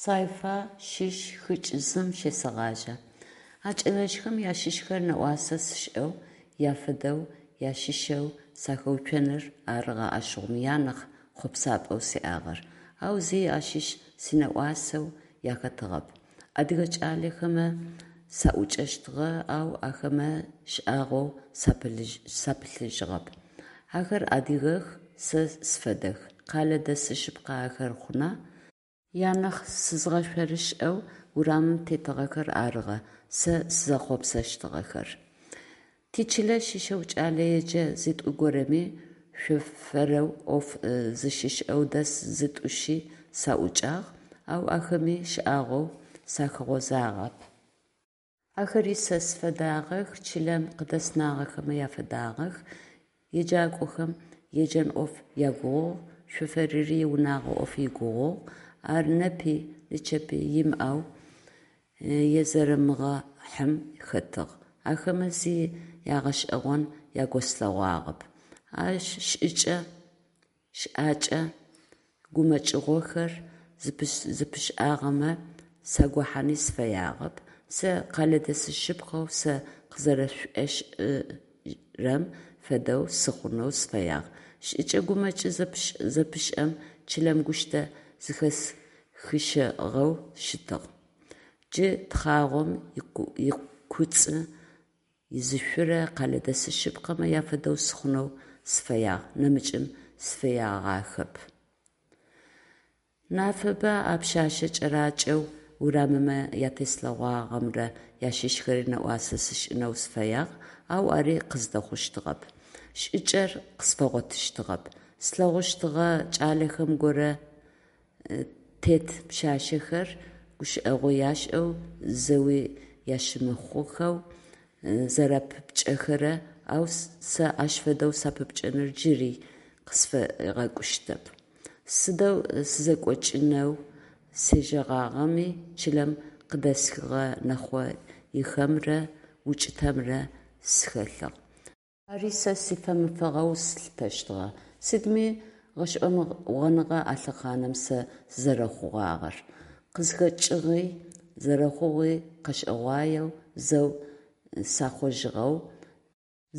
Сайфа щыщ хыкӏ зым щесэгъажьэ. А кӏэлэжъхэм ащыщхэр нэӏуасэ сшӏэу, яфэдэу, ящыщэу сахэуцоныр арыгъэ ащыгъум анахь хъопсапӏэу сиӏагъэр. Ау зи ащыщ синэӏуасэу яхэтыгъэп. Адыгэ кӏалэхэмэ саӏукӏэщтыгъэ, ау ахэмэ шӏагъоу сапылъыжьыгъэп. Ахэр адыгэх, сэ сфэдэх, къалэ дэсы шъыпкъэ ахэр хъуна? Янахь сызгъэшъорышӏэу урамым тетыгъэхэр арыгъэ сэ сызэхъопсэщтыгъэхэр. Тичылэ щыщэу кӏэлэеджэ зытӏу горэми, шофэрэу ӏоф зыщишӏэу дэс зытӏущи саӏукӏагъ, ау ахэми шӏагъоу сахэгъозагъэп. Ахэри сэ сфэдагъэх, чылэм къыдэснагъэхэмэ яфэдагъэх, еджакӏохэм еджэн ӏоф ягугъугъ, шофэрыри иунагъо ӏоф игугъугъ, ар непи нычэпи имыӏэу езэрэмыгъэхьым хэтыгъ. Ахэмэ зи ягъэшӏэгъон ягослъэгъуагъэп. А шӏыкӏэ щыӏакӏэ гумэкӏыгъохэр зыпышӏагъэмэ сагохьани сыфэягъэп, сэ къэлэдэсы шъыпкъэу сэ къызэрэсшӏошӏырэм фэдэу сыхъунэу сыфэягъ. Шӏыкӏэ гумэкӏ зэпышӏэм чылэм гущтэ зыхэсхыщыгъэу щытыгъ. Джы тхъагъом икуцӏы изышъурэ къэлэдэсы шъыпкъэмэ яфэдэу сыхъунэу сыфэягъ, нэмыкӏым сыфэягъахэп. Нафэба а пшъашъэ кӏэракӏэу урамымэ ятеслъэгъуагъэмрэ ящыщхэри нэӏуасэ сшӏынэу сыфэягъ, ау ари къыздэхъущтыгъэп. Шӏыкӏэр къысфэгъотыщтыгъэп. Слъэгъущтыгъэ кӏалэхэм горэ тет пшъашъэхэр гущыӏэгъу яшӏэу, зэуи ящымыхъухэу зэрапыпкӏэхэрэ, ау сэ ащ фэдэу сапыпкӏэныр джыри къысфегъэкӏущтэп. Сыдэу сызэкӏокӏынэу сежьэгъагъэми чылэм къыдэсхыгъэ нэхъоихэмрэ укӏытэмрэ схэлъыгъ. Ари сэ сифэмыфыгъэу слъытэщтыгъэ. Сыдми гъэшӏэгъоныгъэ а лъэхъаным сэ сызэрэхъугъагъэр. Къызхэкӏыгъи, зэрэхъугъи къэшӏэгъуаеу, зэу сахъожьыгъэу,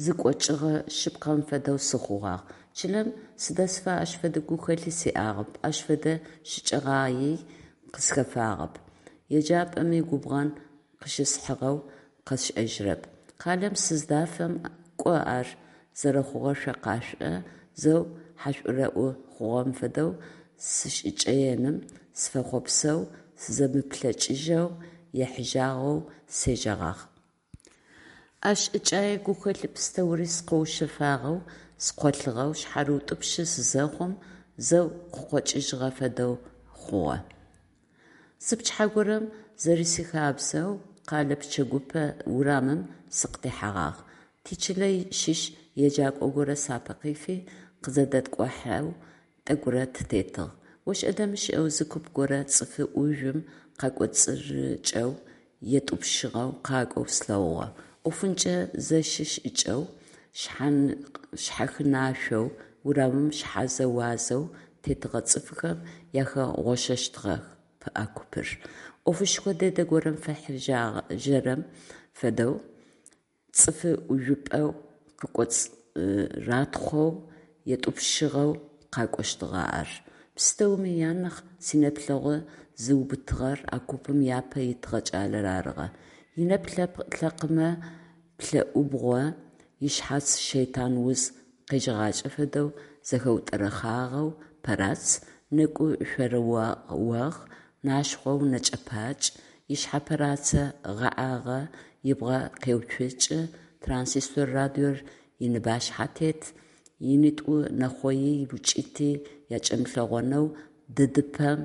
зыкӏокӏыгъэ шъыпкъэм фэдэу сыхъугъагъ. Чылэм сыдэсыфэ ащ фэдэ гухэлъи сиӏагъэп, ащ фэдэ шӏыкӏэгъаий къысхэфагъэп. Еджапӏэми губгъэн къыщысхьыгъэу къэсшӏэжьырэп. Къалэм сыздафэм, кӏо ар зэрэхъугъэр шъо къашъушӏэ, зэу хьашӏурэӏу хъугъэм фэдэу сышӏыкӏэеным сыфэхъуапсэу, сызэмыплъэкӏыжьэу ехьыжьагъэу сежьэгъагъ. А шӏыкӏэе гухэлъ пстэури скъоушъэфагъэу, скъолъыгъэу, шъхьарыутӏупщы сызэхъум, зэу къыкъокӏыжьыгъэ фэдэу хъугъэ. Зы пчыхьэ горэм, зэрисихабзэу, къэлэ пчэгупэ урамым сыкъытехьэгъагъ. Тичылэ щыщ еджакӏо горэ сапэ къифи, къызэдэткӏухьэу тӏэкӏурэ тытетыгъ. ОшӀэ-дэмышӀэу зы куп горэ цӀыфы ӏужъум къакӏоцӀырыкӀэу етӀупщыгъэу къакӏоу слъэгъугъэ. Ӏофынчъэ зэщы шӀыкӀэу, шъхьахынашъоу урамым шъхьазэ-уазэу тетыгъэ цӀыфхэм яхэгъощэщтыгъэп а купыр. Ӏофышхо дэдэ горэм фехьыжьэрэм фэдэу цӀыфы ӀужъупӀэу къыкӀоцӀыратхъоу етӀупщыгъэу къакӀощтыгъэ ар. Пстэуми анахь синэплъэгъу зыубытыгъэр а купым япэ итыгъэ кӏалэр арыгъэ. Инэпкъ-лъэпкъымэ плӀэӀубгъо, ышъхьац шэйтан уз къежьэгъакӀэ фэдэу зэхэутӀэрэхъагъэу пэрац, нэкӀу шъорыогъ, нашхъоу нэкӀэ-пакӀ, ышъхьэ пэрацэ гъэӀагъэ ыбгъэ къеуцокӀы, транзистор радиор иныбашъхьэ тет, ынитӀу нэхъои укӀыти якӀэмылъэгъонэу дыдыпэм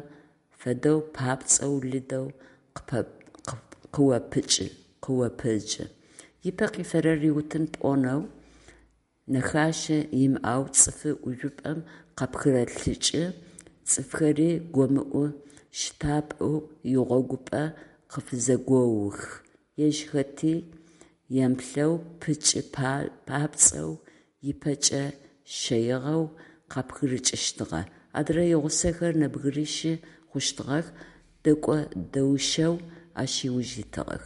фэдэу папцӀэу лыдэу къыопыджы, ипэ къифэрэр риутын пӀонэу нэхашэ имыӀэу цӀыфы ӀужъупӀэм къапхырэлъыкӀы, цӀыфхэри гомыӀу щтапӀэу игъогупэ къыфызэгоух, ежь хэти емыплъэу пыкӀы папцӀэу, ыпэкӀэ щэигъэу къапхырыкӀыщтыгъэ. Адрэ игъусэхэр нэбгырищы хъущтыгъэх. дэкӏо-дэущэу ащ ыуж итыгъэх.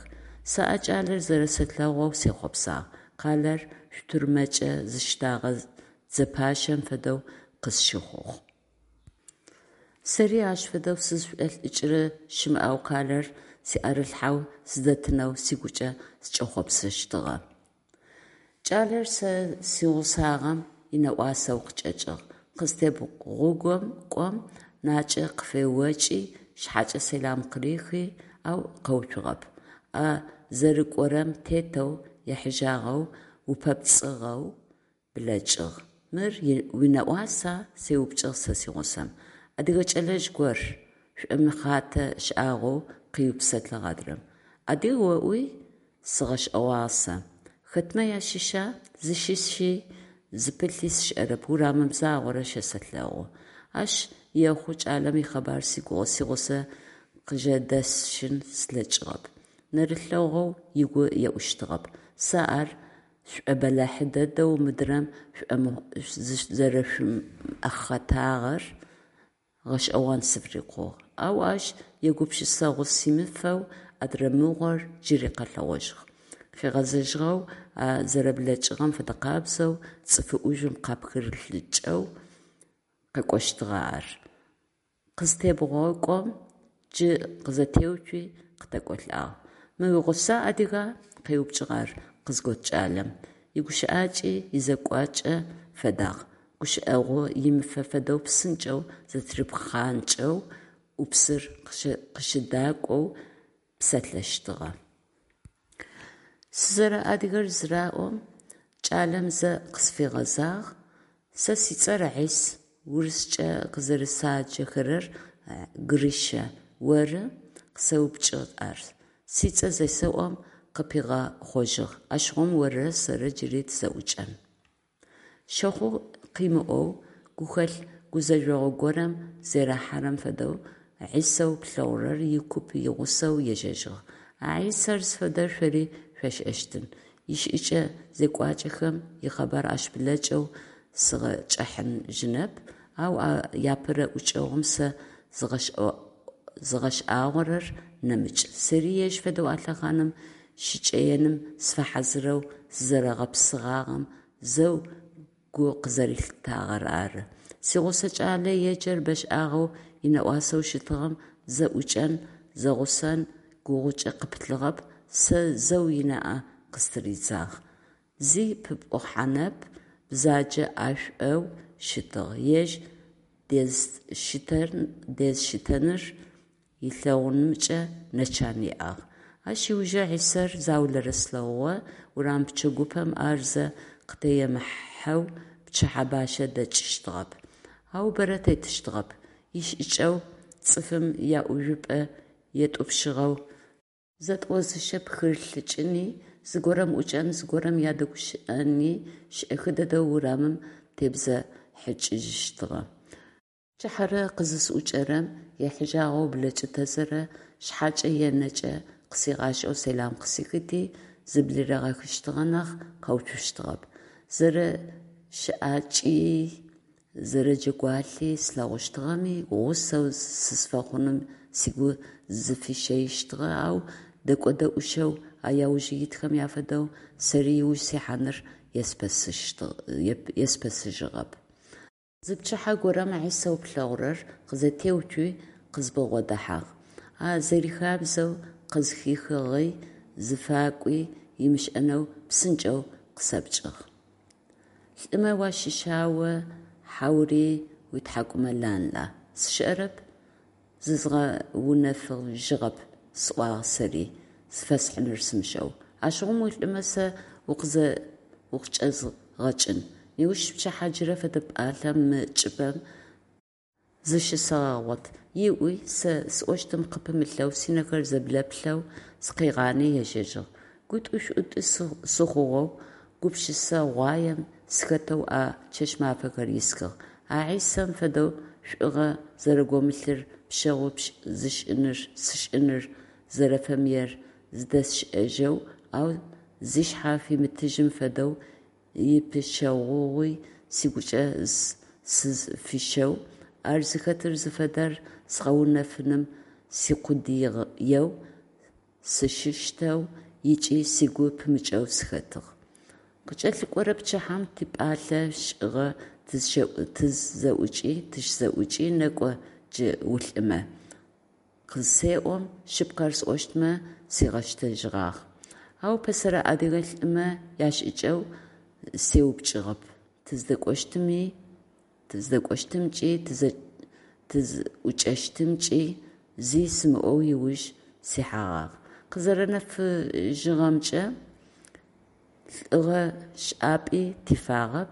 Сэ а кӏалэр зэрэсэлъэгъоу сехъопсагъ, къалэр штурмэкӏэ зыштэгъэ дзэпащэм фэдэу къысщыхъугъ. Сэри ащ фэдэу сызшӏолӏыкӏырэ щымыӏэу къалэр сиӏэрылъхьэу сыдэтынэу сыгукӏэ сыкӏэхъопсыщтыгъэ. Кӏалэр сэ сигъусагъэм инэӏуасэу къычӏэкӏыгъ. Къызытебгъукӏом, накӏэ къыфеокӏи, шъхьэкӏэ сэлам къырихи, ау къэуцугъэп. А зэрыкӏорэм тетэу ехьыжьагъэу, упэпцӏыгъэу блэкӏыгъ. «Мыр уинэӏуаса?» – сеупчӏыгъ сэ сигъусэм. «Адыгэ кӏэлэжъ гор», – шӏомыхъатэ шӏагъоу къыупсэлъыгъ адрэм. «Адыг оӏуи?» – сыгъэшӏэгъуагъ сэ. «Хэтмэ ащыща? Зыщыщи зыпылъи сшӏэрэп, урамым загъорэ щэсэлъэгъу». Ащ ехъу кӏалэм икъэбар сигъусэ къыжэдэсщын слъэкӏыгъэп. Нэрылъэгъоу ыгу еӏущтыгъэп. Сэ ар сшӏобэлахь дэдэу мыдрэм зэрэшӏомыхъэтагъэр гъэшӏэгъон сфырикъугъ. Ау ащ егупшысэгъу симыфэу адрэ мыгъор джыри къэлъэгъожьыгъ. Къыгъэзэжьыгъэу, а зэрэблэкӏыгъэм фэдэкъабзэу цӏыф ӏужъум къапхырылъыкӏэу къакӏощтыгъэ ар. Къызытебгъокӏом, джы къызэтеуцуи къытэкӏолӏагъ. «Мы уигъусэр адыга?» – къеупчӏыгъ ар къызгот кӏалэм. Игущыӏакӏи изекӏуакӏи фэдагъ, гущыӏэгъу имыфэ фэдэу псынкӏэу зэтырипхъанкӏэу, ӏупсыр къыщыдакӏоу псалъэщтыгъэ. Сызэрэадыгэр зыраӏом, кӏалэм зэ къысфигъэзагъ: «Сэ сцӏэр Хьис, урыскӏэ къызэрэсаджэхэрэр Гриша, оры?» – къысэупчӏыгъ ар. Сцӏэ зесэӏом, къыпигъэхъожьыгъ: «Ащыгъум орырэ сэрырэ джыри тызэӏукӏэн». Щэхъу къымыӏоу, гухэлъ гузэжъогъу горэм зэрихьэрэм фэдэу Хьисэу плъэгъурэр икуп игъусэу ежьэжьыгъ. А Хьисэр зыфэдэр шъори шъошӏэщтын, ишӏыкӏэ-зекӏуакӏэхэм икъэбар ащ блэкӏэу сигъэкӏыхьажьынэп, ау а апэрэ ӏукӏэгъум сэ згъэшӏагъорэр нэмыкӏ: сэри ежь фэдэу а лъэхъаным шыкӏэеным сыфэхьазырэу сызэрэгъэпсыгъагъэм зэу гу къызэрэлъитагъэр ары. Сигъусэ кӏалэ еджэр бэшӏагъэу инэӏуасэу щытыгъэм, зэӏукӏэн, зэгъусэн гугъукӏэ къыпылъыгъэп, сэ зэу ынаӏэ къыстыридзагъ. Зи пыпӏухьанэп, бзэджэ ӏашӏоу щытыгъ, ежь дэзыштэныр ылъэгъунымкӏэ нэ чан иӏагъ. Ащ ыужэу Хьисэр заулэрэ слъэгъугъэ, урам пчэгупэм ар зэ къытемыхьэу пчыхьэ бащэ дэкӏыщтыгъэп. Ау бэрэ тетыщтыгъэп, ишӏыкӏэу цӏыфым яӏужъупӏэ етӏупщыгъэу зэтӏозыщэ пхырылъыкӏыни, зыгорэм ӏукӏэн, зыгорэм ядэгущыӏэни, шӏэхы дэдэу урамым тебзэхыкӏыжьыщтыгъэ. Пчыхьэрэ къызысӏукӏэрэм, ехьыжьагъэу блэкӏы тэзэрэ, шъхьэкӏэ е нэкӏэ къысигъашӏэу сэлам къысихыти, зыблыригъэхыщтыгъэ нахь, къэуцущтыгъэп. Зэрэщыӏакӏи зэрэджэгуалъи слъэгъущтыгъэми, гъусэу сызфэхъуным сыгу зыфищэищтыгъэ, ау дэкӏо-дэӏущэу а яуж итхэм афэдэу сэри ыуж сихьаныр еспэсыжьыгъэп. Зы пчыхьэ горэм Хьисэу плъэгъурэр къызэтеуцуи къызбгъодэхьагъ. А зэрихабзэу къызхихыгъи зыфакӏуи ымышӏэнэу псынкӏэу къысэупчӏыгъ: «Лӏымэ уащыща о, хьаури уитхьакӏумэ ланла?» «Сшӏэрэп, зызгъэунэфыжьыгъэп», – сӏуагъэ сэри, зыфэсхьыныр сымышӏэу. «Ащыгъум улӏымэ сэ укъычӏэзгъэкӏын. Неущпчыхьэ джырэ фэдэ пӏалъэм мы чӏыпӏэм зыщысэгъэгъот», – ыӏуи, сэ сӏощтым къыпымылъэу, сынэхэр зэблэплъэу сыкъигъани ежьэжьыгъ. Гутӏу-шъутӏу сыхъугъэу, гупшысэгъуаем сыхэтэу а чэщ-мафэхэр исхыгъ. А Хьисэм фэдэу шӏугъэ зэрэголъыр пшъэгъу сшӏыныр зэрэфэмыер зыдэсшӏэжьэу, ау зышъхьэ фимытыжьым фэдэу ипшъэгъугъи сыгукӏэ сызфищэу, ар зыхэтыр зыфэдэр згъэунэфыным Сикъудыеу сыщыщтэу ыкӏи сыгу пымыкӏэу сыхэтыгъ. Къыкӏэлъыкӏорэ пчыхьэм типӏалъэ шӏыгъэ тызщызэӏукӏи, «Некӏо джы улӏымэ» къызысеӏом, шъыпкъэр сӏощтмэ, сигъэщтэжьыгъагъ. Ау пэсэрэ адыгэ лӏымэ яшӏыкӏэу сеупчӏыгъэп, тыздэкӏощтымкӏи тызӏукӏэщтымкӏи зи сымыӏоу ыуж сихьэгъагъ. Къызэрэнэфыжьыгъэмкӏэ, лӏыгъэ шӏапӏи тифагъэп,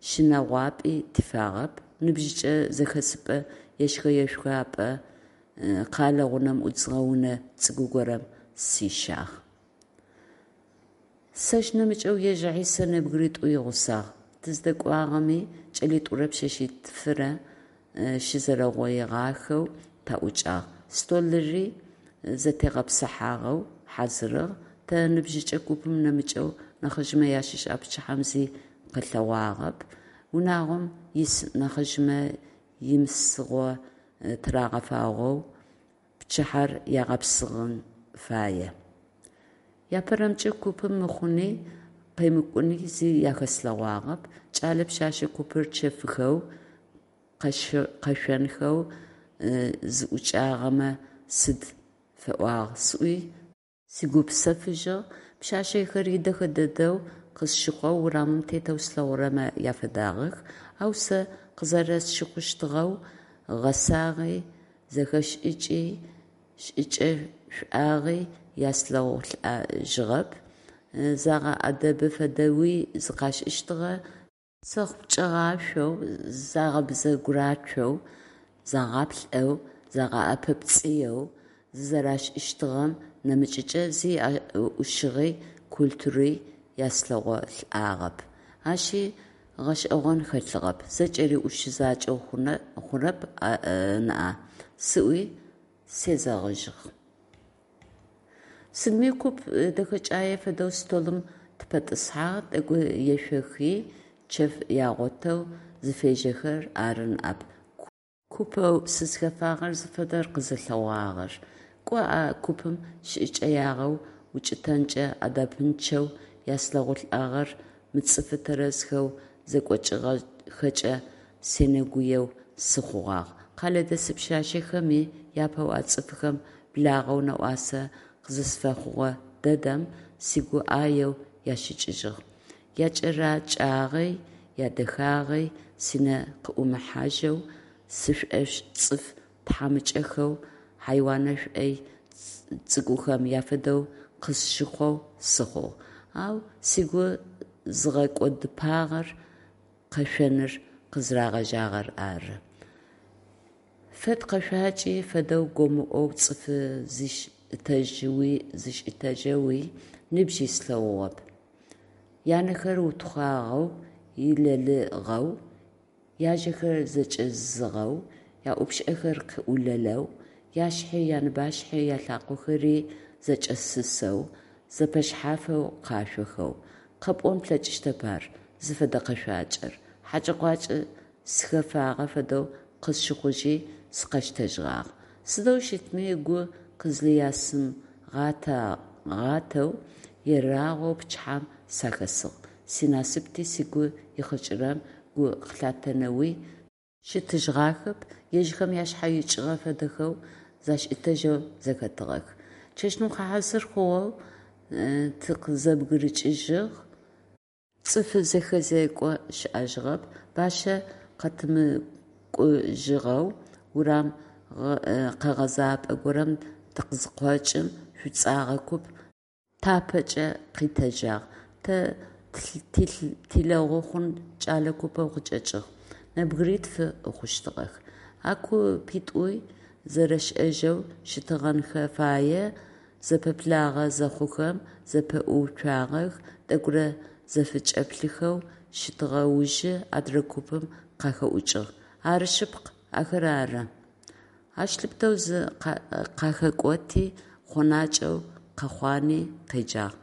щынэгъуапӏи тифагъэп: ныбжьыкӏэ зэхэсыпӏэ ешхэ-ешъуапӏэ къэлэ гъунэм ӏудзыгъэ унэ цӏыкӏу горэм сищагъ. Сэщ нэмыкӏэу ежь Хьисэ нэбгыритӏу игъусагъ. Тыздэкӏуагъэми кӏэлитӏурэ пшъэшъитфырэ щызэрэугъоигъахэу таӏукӏагъ. Столыри зэтегъэпсыхьагъэу хьазырыгъ. Тэ, ныбжьыкӏэ купым нэмыкӏэу, нахьыжъмэ ащыщ а пчыхьэм зи къэлъэгъуагъэп. Унагъом ис нахьыжъмэ имысыгъо тырагъэфагъэу пчыхьэр ягъэпсыгъэн фае. Апэрэмкӏэ купым мыхъуни къемыкӏуни зи ахэслъэгъуагъэп. Кӏэлэ, пшъэшъэ купыр чэфыхэу, къэшъонхэу зыӏукӏагъэмэ сыд фэӏуагъ сӏуи сыгупсэфыжьыгъ. Пшъашъэхэри дэхэ дэдэу къысщыхъоу урамым тетэу слъэгъурэмэ афэдагъэх, ау сэ къызэрэсщыхъущтыгъэу гъэсагъи, зэхэшӏыкӏи, шӏыкӏэшӏуагъи яслъэгъулӏэжьыгъэп, загъэӏэдэбы фэдэуи зыкъашӏыщтыгъэ, сэхъу пкӏэгъашъоу, загъэбзэгурацоу, загъаплӏэу, загъэӏэпэпцӏыеу зызэрашӏыщтыгъэм нэмыкӏыкӏэ зи ӏушыгъи культури яслъэгъулӏагъэп. Ащи гъэшӏэгъон хэлъыгъэп, зэкӏэри ӏушы закӏэу хъурэп ныӏа, сӏуи сезэгъыжьыгъ. Сыдми куп дэхэкӏае фэдэу столым тыпэтӏысхьагъ, тӏэкӏу ешъохи, чэф ягъотэу зыфежьэхэр ары ныӏэп купэу сызхэфагъэр зыфэдэр къызэлъэгъуагъэр. Кӏо а купым шӏыкӏэягъэу, укӏытэнкӏэ ӏэдэбынчъэу яслъэгъулӏагъэр мыцӏыфы тэрэзхэу зэкӏокӏыгъэхэкӏэ сенэгуеу сыхъугъагъ. Къэлэдэс пшъашъэхэми япэу а цӏыфхэм благъэу нэӏуасэ къызысфэхъугъэ дэдэм сыгу ӏаеу ящыкӏыжьыгъ. Якӏэрэкӏагъи, ядэхагъи синэ къыӏумыхьажьэу, сшӏошъ цӏыф тхьамыкӏэхэу, хьайуанэ шӏой цӏыкӏухэм афэдэу къысщыхъоу сыхъугъ. Ау сыгу зыгъэкӏодыпагъэр къэшъоныр къызырагъэжьагъэр ары. Фэд къэшъуакӏи фэдэу гомыӏоу цӏыфы зишӏытэжьэуи нибжьи слъэгъугъэп. Янэхэр утхъуагъэу, илэлыгъэу, яжьэхэр зэкӏэзыгъэу, яӏупшӏэхэр къыӏулэлэу, яшъхьи, яныбашъхьи, ялъакъохэри зэкӏэсысэу, зэфэшъхьафэу къашъохэу. Къэпӏон плъэкӏыщтэп ар зыфэдэ къэшъуакӏэр. Хьэкӏэ-къуакӏэ сыхэфагъэ фэдэу къысщыхъужьи сыкъэщтэжьыгъагъ. Сыдэу щытми, гу къызлъясымыгъатэу ерагъоу пчыхьэм сахэсыгъ. Синасыпти сыгу ихъыкӏырэм гу къылъатэнэуи щытыжьыгъахэп, ежьхэм ашъхьэ икӏыгъэ фэдэхэу зашӏытэжьэу зэхэтыгъэх. Чэщныкъо хьазыр хъугъэу тыкъызэбгырыкӏыжьыгъ. Цӏыф зэхэзекӏо щыӏэжьыгъэп. Бащэ къэтымыкӏужьыгъэу урам къэгъэзапӏэ горэм тыкъызыкъокӏым, шӏуцӏэгъэ куп тапэкӏэ къитэджагъ. Тэ тилэгъу хъун кӏэлэ купэу къычӏэкӏыгъ. Нэбгыритф хъущтыгъэх. А купитӏур зэрэшӏэжьэу щытыгъэнхэ фае, зэпэблагъэ зэхъухэм, зэпэӏууцуагъэх, тӏэкӏурэ зэфычӏэплъыхэу щытыгъэ ужы адрэ купым къахэӏукӏыгъ: «Ары шъыпкъ, ахэр ары!» Ащ лъыпытэу зы къахэкӏоти, хъонакӏэу къэхъуани къеджагъ: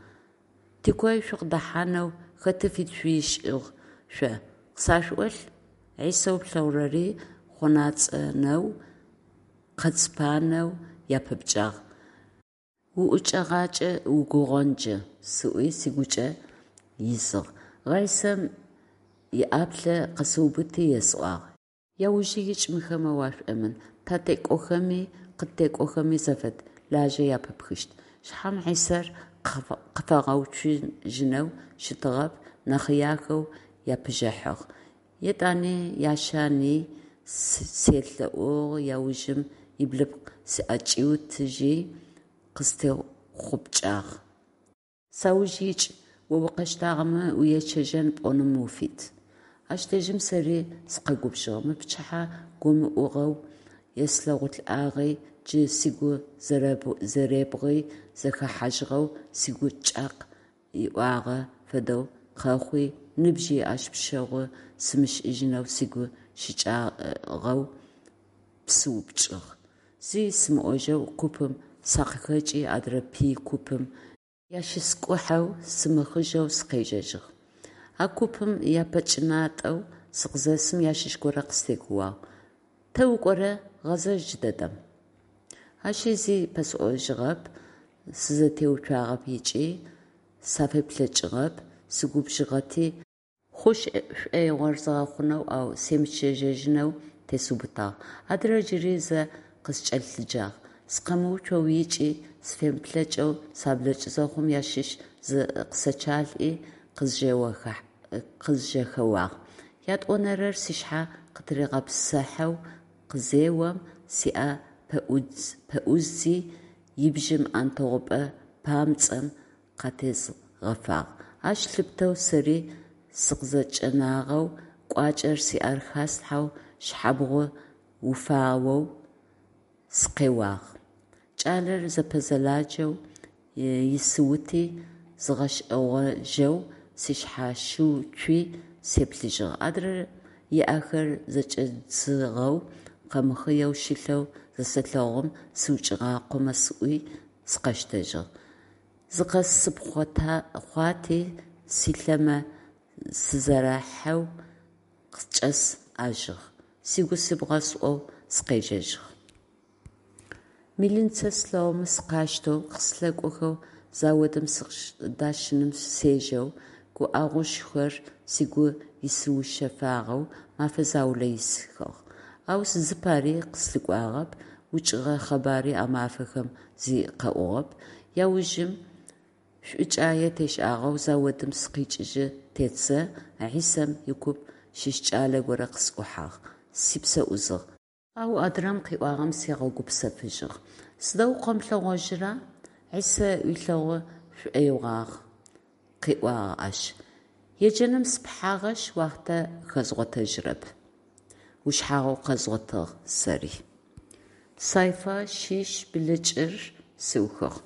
«Тикой шъукъыдэхьанэу хэты фит шъуишӏыгъ шъо, къысашъуӏолъ?» Хьисэу плъэгъурэри хъонацӏэнэу, къэцпанэу япыпкӏагъ. УӀукӀэгъакӀэ угугъон джы, сӀуи сыгучӀэ изыгъ. Гъайсэм ыӀаплӀы къэсыубыти есӀуагъ: «Яужы икӀ, мыхэмэ уашӀомын, татекӀохэми къыттекӀохэми зэфэд, лажьэ япыпхыщт». Шъхьэм Хьисэр къыфэгъэуцужьынэу щытыгъэп, нэхъыяхэу япыжъыхьыгъ. Етӏани ящани селъэӀугъ, яужым ыблыпкъ сыӀэкӀиутыжьи, къыстехъупкӀагъ. «Сауж икӀ, о укъэщтагъэмэ уечъэжьэн пӀоным уфит». Ащ дэжьым сэри сыкъэгубжыгъ, мы пчыхьэ гомыӀугъэу еслъэгъулӀагъи, джы сыгу зэребгъи зэхэхьажьыгъэу сыгу кӀакъ ыӀуагъэ фэдэу къэхъуи, ныбжьи ащ пшъэгъу сымышӀыжьынэу сыгу щыкӀагъэу пысыупкӀыгъ. Зи сымыӀожьэу купым сакъыхэкӀи адрэ пый купым ящыскӀухьэу сымыхъыжъэу сыкъежьэжьыгъ. А купым япэчӀынатӀэу сыкъызэсым ащыщ горэ къыстекӀууагъ: «Тэ укӀора, гъэзэжь джыдэдэм!» Ащи зи пэсӀожьыгъэп, сызэтеуцуагъэп ыкӀи сафеплъэкӀыгъэп, сыгубжыгъэти хъу шӀоигъор згъэхъунэу, ау семычъэжьынэу тесыубытагъ. Адрэр джыри зэ къыскӀэлъыджагъ. Сыкъэмыуцоу ыкӀи сыфемыплъэкӀэу саблэкӀы зэхъум ащыщ зы къысэчъалӀи къызжэхэуагъ. ЯтӀонэрэр сшъхьэ къытыригъэпсыхьэу къызеом, сиӀэ пэӀуздзи ибжым Ӏэнтэгъупэ папцӀэм къытезгъэфагъ. Ащ лъыпытэу сэри сыкъызэкӀэнагъэу, кӀуачӀэр сиӀэр хаслъхьэу сшъхьабгъу уфагъэу сыкъеуагъ. КӀалэр зэпэзэладжэу исыути, згъэшӀэгъожьэу сышъхьащыуцуи сеплъыжьыгъ. Адрэм ыӀэхэр зэкӀэдзыгъэу къэмыхъыеу щылъэу зысэлъэгъум, сыукӀыгъакъомэ сӀуи сыкъэщтэжьыгъ. Зыкъэсыпхъуати, силъэмэ сызэрахьэу къычӀэсӀажьыгъ. Сыгу-сыбгъэ сӀоу сыкъежьэжьыгъ. Милицэ слъэгъумэ сыкъащтэу, къыслъэкӀохэу заводым сыкъыдащыным сежэу, гуӀэгъушхор сыгу исыушъэфагъэу мэфэ заулэ исхыгъ. Ау зыпари къыслъыкӀуагъэп, укӀыгъэ къэбари а мафэхэм зи къэӀугъэп. Яужым, шӀукӀае тешӀагъэу заводым сыкъикӀыжьы тетзэ, Хьисэм икуп щыщ кӀалэ горэ къысӀухьагъ, сипсэ Ӏузыгъ. Ау адрэм къыӏуагъэм сигъэгупсэфыжьыгъ: «Сыдэу укъэмылъэгъожьыра? Хьисэ уилъэгъу шӏоигъуагъ», – къыӏуагъ ащ. «Еджэным сыпыхьагъэшъ, уахътэ хэзгъотэжьырэп», – ушъхьагъу къэзгъотыгъ сэри. Сайфа шъищ блыкӏыр сыухыгъ.